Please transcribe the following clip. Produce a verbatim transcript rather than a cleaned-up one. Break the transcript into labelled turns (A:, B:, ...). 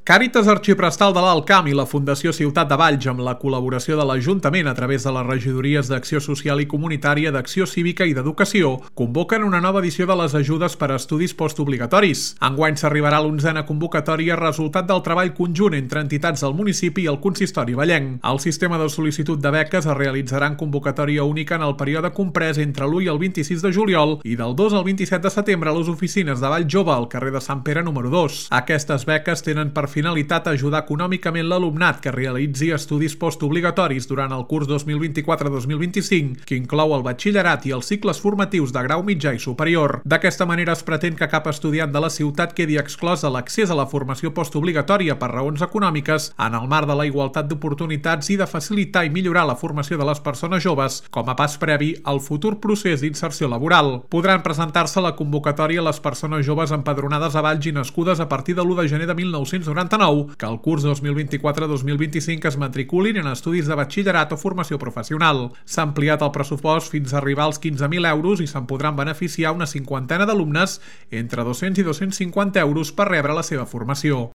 A: Càritas Arxiprestal de l'Alt Camp i la Fundació Ciutat de Valls, amb la col·laboració de l'Ajuntament a través de les regidories d'Acció Social i Comunitària, d'Acció Cívica i d'Educació, convoquen una nova edició de les ajudes per a estudis postobligatoris. Enguany s'arribarà a l'onzena convocatòria resultat del treball conjunt entre entitats del municipi i el consistori vallenc. El sistema de sol·licitud de beques es realitzarà en convocatòria única en el període comprès entre l'u i el vint-i-sis de juliol i del dos al vint-i-set de setembre a les oficines de Vall Jove, al carrer de Sant Pere número dos. Aquestes beques tenen per finalitat ajudar econòmicament l'alumnat que realitzi estudis postobligatoris durant el curs dos mil vint-i-quatre dos mil vint-i-cinc, que inclou el batxillerat i els cicles formatius de grau mitjà i superior. D'aquesta manera es pretén que cap estudiant de la ciutat quedi exclòs de l'accés a la formació postobligatòria per raons econòmiques en el marc de la igualtat d'oportunitats i de facilitar i millorar la formació de les persones joves com a pas previ al futur procés d'inserció laboral. Podran presentar-se a la convocatòria les persones joves empadronades a Valls i nascudes a partir de l'u de gener de mil nou-cents noranta-nou que el curs dos mil vint-i-quatre dos mil vint-i-cinc es matriculin en estudis de batxillerat o formació professional. S'ha ampliat el pressupost fins a arribar als quinze mil euros i se'n podran beneficiar una cinquantena d'alumnes entre dos-cents i dos-cents cinquanta euros per rebre la seva formació.